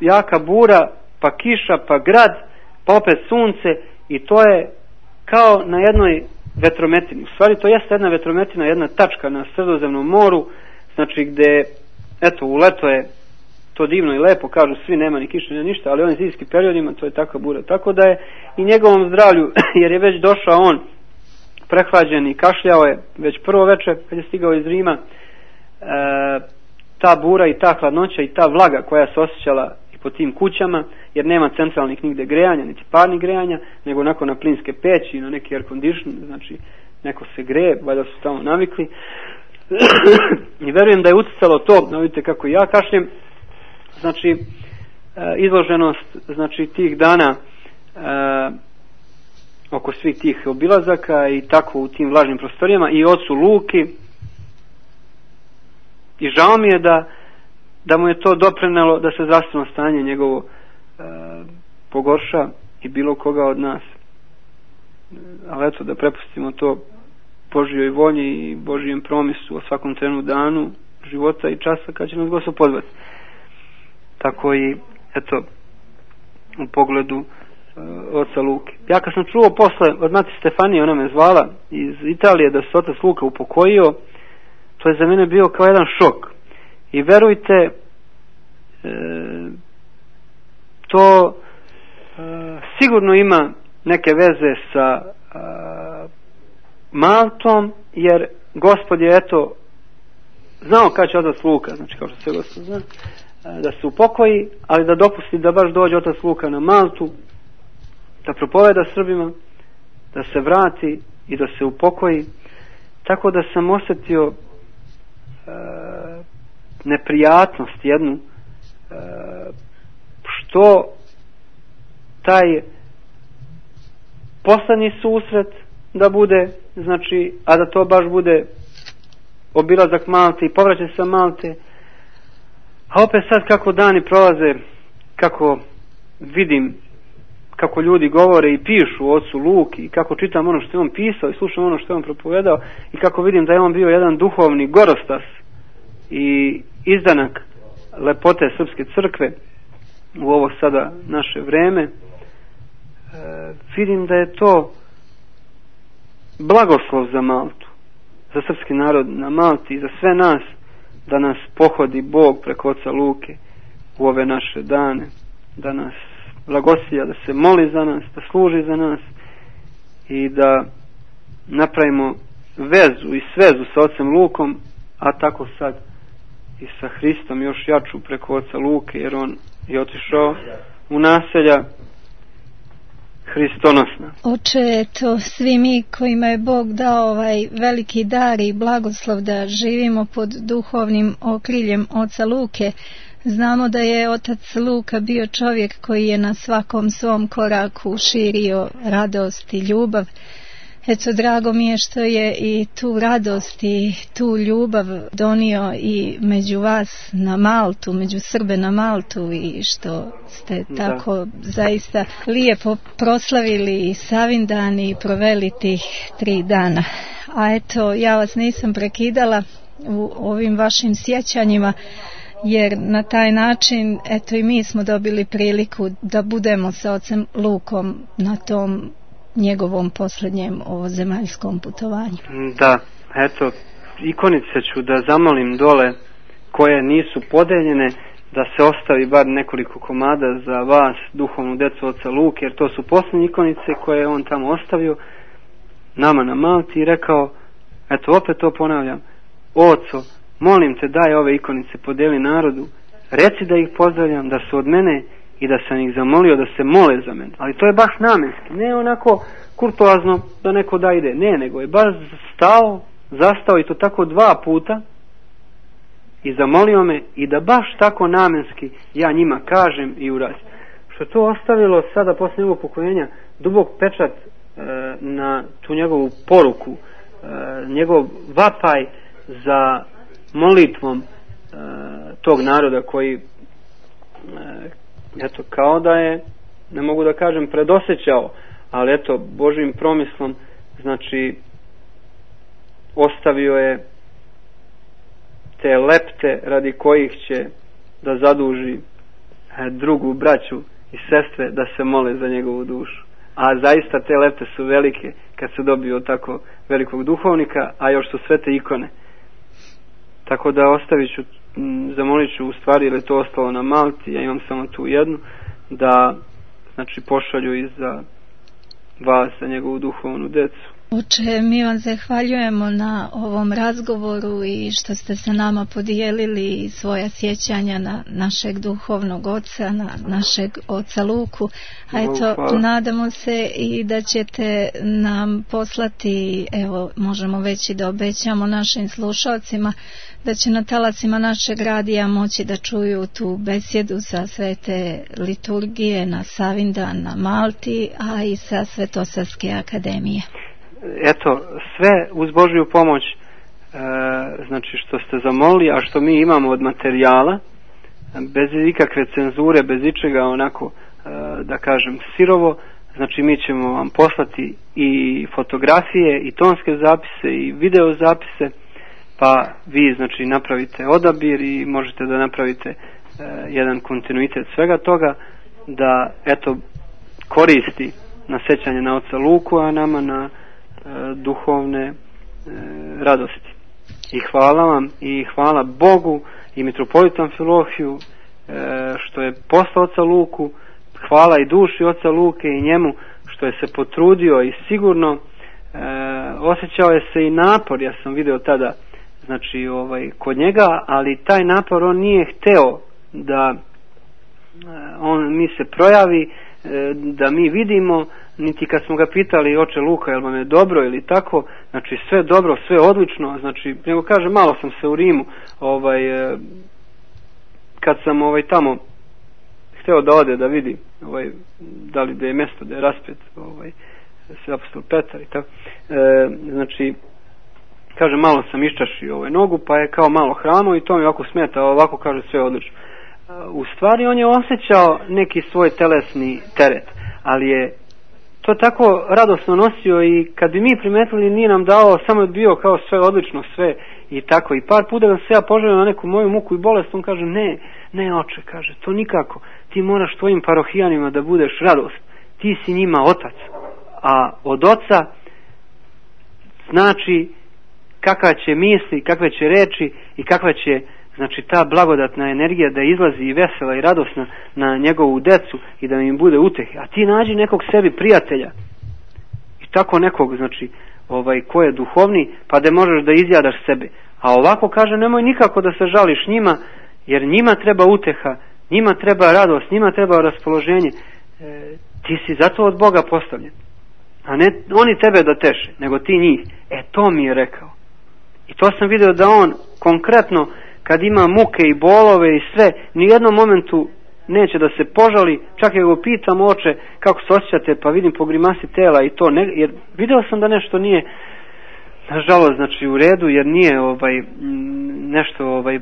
jaka bura, pa kiša, pa grad, pa opet sunce, i to je kao na jednoj vetrometini. U stvari to jeste jedna vetrometina, jedna tačka na Sredozemnom moru, znači gde, eto, u leto je to divno i lepo, kažu svi, nema ni kiše ni ništa, ali u ovim zimskim periodima to je takva bura. Tako da je i njegovom zdravlju, jer je već došao on prehlađen i kašljao je već prvo večer kad je stigao iz Rima, e, ta bura i ta hladnoća i ta vlaga koja se osjećala i po tim kućama, jer nema centralnih nigde grejanja, niti parnih grejanja, nego onako na plinske peći i na neki air condition, znači neko se greje, valjda su tamo navikli. I verujem da je uticalo to, no vidite kako ja kašljem, znači izloženost znači tih dana e, oko svih tih obilazaka i tako u tim vlažnim prostorijama i ocu Luki, i žao mi je da da mu je to doprinelo da se zdravstveno stanje njegovo e, pogorša i bilo koga od nas, ali eto da prepustimo to Božjoj volji i Božjem promisu o svakom trenu danu života i časa kad će nas Gospod pozvati. Tako i eto u pogledu e, oca Luke. Ja kad sam čuo posle od mati Stefanije, ona me zvala iz Italije da se otac Luka upokojio, to je za mene bio kao jedan šok. I verujte, e, to e, sigurno ima neke veze sa e, Maltom, jer Gospod je eto znao kad će otac Luka, znači kao što se Gospod zna, da se upokoji, ali da dopusti da baš dođe otac Luka na Maltu, da propoveda Srbima, da se vrati i da se upokoji. Tako da sam osjetio e, neprijatnost jednu, e, što taj poslednji susret da bude, znači, a da to baš bude obilazak Malte i povraćaj sa Malte. A opet sad kako dani prolaze, kako vidim kako ljudi govore i pišu o ocu Luki i kako čitam ono što je on pisao i slušam ono što je on propovedao i kako vidim da je on bio jedan duhovni gorostas i izdanak lepote srpske crkve u ovo sada naše vreme, e, vidim da je to blagoslov za Maltu, za srpski narod na Malti i za sve nas, da nas pohodi Bog preko oca Luke u ove naše dane, da nas blagosilja, da se moli za nas, da služi za nas i da napravimo vezu i svezu sa ocem Lukom, a tako sad i sa Hristom još jaču preko oca Luke, jer on je otišao u naselja Hristonosna. Oče, eto, svi mi kojima je Bog dao ovaj veliki dar i blagoslov da živimo pod duhovnim okriljem oca Luke, znamo da je otac Luka bio čovjek koji je na svakom svom koraku širio radost i ljubav. Eto, drago mi je što je i tu radost i tu ljubav donio i među vas na Maltu, među Srbe na Maltu, i što ste tako da zaista lijepo proslavili i Savindan i proveli tih tri dana. A eto, ja vas nisam prekidala u ovim vašim sjećanjima, jer na taj način eto i mi smo dobili priliku da budemo sa ocem Lukom na tom njegovom posljednjem ovozemaljskom putovanju. Da, eto, ikonice ću da zamolim dole koje nisu podeljene, da se ostavi bar nekoliko komada za vas, duhovnu decu oca Luke, jer to su posljednje ikonice koje je on tamo ostavio nama na Malti i rekao, eto opet to ponavljam, oco, molim te daj ove ikonice, podeli narodu, reci da ih pozdravljam, da su od mene i da sam ih zamolio da se mole za mene. Ali to je baš namenski, ne onako kurtoazno da neko da ide, ne, nego je baš stao, zastao i to tako dva puta i zamolio me i da baš tako namenski ja njima kažem i uradim. Što to ostavilo sada posle njegovog pokojanja dubok pečat e, na tu njegovu poruku, e, njegov vapaj za molitvom e, tog naroda koji e, eto kao da je, ne mogu da kažem predosjećao, ali eto Božjim promislom, znači ostavio je te lepte radi kojih će da zaduži drugu braću i sestre da se mole za njegovu dušu. A zaista te lepte su velike kad se dobio tako velikog duhovnika, a još su sve te ikone. Tako da ostavit ću, zamolit ću u stvari, jer je to ostalo na Malti, ja imam samo tu jednu, da znači pošalju i za vas, za njegovu duhovnu decu. Oče, mi vam zahvaljujemo na ovom razgovoru i što ste sa nama podijelili svoja sjećanja na našeg duhovnog oca, na našeg oca Luku. A eto, hvala. Nadamo se i da ćete nam poslati, evo, možemo već i da obećamo našim slušalcima, da će na talasima našeg radija moći da čuju tu besjedu sa svete liturgije na Savindan na Malti, a i sa Svetosavske akademije. Eto, sve uz Božju pomoć, e, znači što ste zamolili, a što mi imamo od materijala, bez ikakve cenzure, bez ičega onako, e, da kažem, sirovo, znači mi ćemo vam poslati i fotografije, i tonske zapise, i video zapise, pa vi znači napravite odabir i možete da napravite e, jedan kontinuitet svega toga, da eto koristi na sećanje na oca Luku, a nama na duhovne e, radosti. I hvala vam i hvala Bogu i mitropolitu Amfilohiju e, što je poslao oca Luku, hvala i duši oca Luke i njemu što je se potrudio i sigurno e, osjećao je se i napor, ja sam video tada znači ovaj kod njega, ali taj napor on nije hteo da e, on mi se projavi, e, da mi vidimo, niti kad smo ga pitali, oče Luka, jel vam je dobro ili tako, znači sve dobro, sve odlično, znači, nego kaže, malo sam se u Rimu, ovaj, kad sam ovaj tamo hteo da ode da vidi, ovaj, da li da je mjesto, da je raspet, ovaj, sve apostol Petar i tako, e, znači, kaže, malo sam iščašio ovaj nogu, pa je kao malo hrano i to mi ovako smeta, ovako kaže sve odlično. U stvari on je osjećao neki svoj telesni teret, ali je to tako radosno nosio i kad bi mi primetili nije nam dao, samo je bio kao sve odlično, sve i tako. I par puta da se ja poželio na neku moju muku i bolest, on kaže, ne, ne oče, kaže, to nikako, ti moraš tvojim parohijanima da budeš radost, ti si njima otac, a od oca znači kakva će misli, kakve će reči i kakva će, znači, ta blagodatna energija da izlazi i vesela i radosna na njegovu decu i da im bude utehe. A ti nađi nekog sebi prijatelja i tako nekog, znači, ovaj, ko je duhovni, pa da možeš da izjadaš sebe. A ovako kaže, nemoj nikako da se žališ njima, jer njima treba uteha, njima treba radost, njima treba raspoloženje. E, ti si zato od Boga postavljen. A ne oni tebe da teše, nego ti njih. E, to mi je rekao. I to sam vidio da on konkretno, kad ima muke i bolove i sve, ni u jednom momentu neće da se požali, čak i go pitam, oče, kako se osjećate, pa vidim po grimasi tela i to, ne, jer vidio sam da nešto nije, nažalost, znači u redu, jer nije ovaj nešto ovaj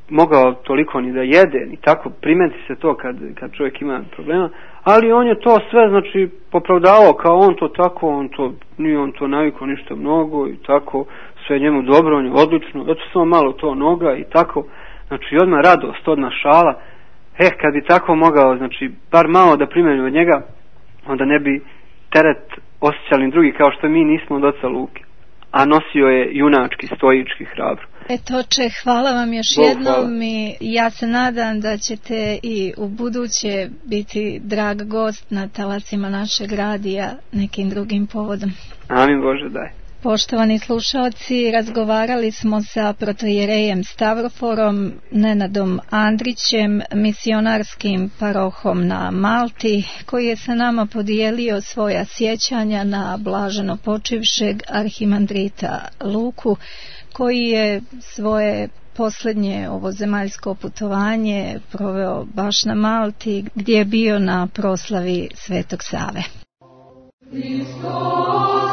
mogao toliko ni da jede, ni tako, primeti se to kad, kad čovjek ima problema, ali on je to sve, znači, popravdavao kao on to tako, on to, nije on to navikao ništa mnogo i tako, sve njemu dobro, on je odlično, eto samo malo to noga i tako, znači odmah radost, odmah šala. Eh, kad bi tako mogao, znači, bar malo da primjenu od njega, onda ne bi teret osjećali drugi, kao što mi nismo od oca Luke. A nosio je junački, stoički, hrabro. Eto, oče, hvala vam još Bog, jednom hvala. I ja se nadam da ćete i u buduće biti drag gost na talasima našeg radija nekim drugim povodom. Amin Bože, daj. Poštovani slušalci, razgovarali smo sa protojerejem Stavroforom Nenadom Andrićem, misionarskim parohom na Malti, koji je sa nama podijelio svoja sjećanja na blaženo počivšeg arhimandrita Luku, koji je svoje posljednje ovozemaljsko putovanje proveo baš na Malti, gdje je bio na proslavi Svetog Save. Hristos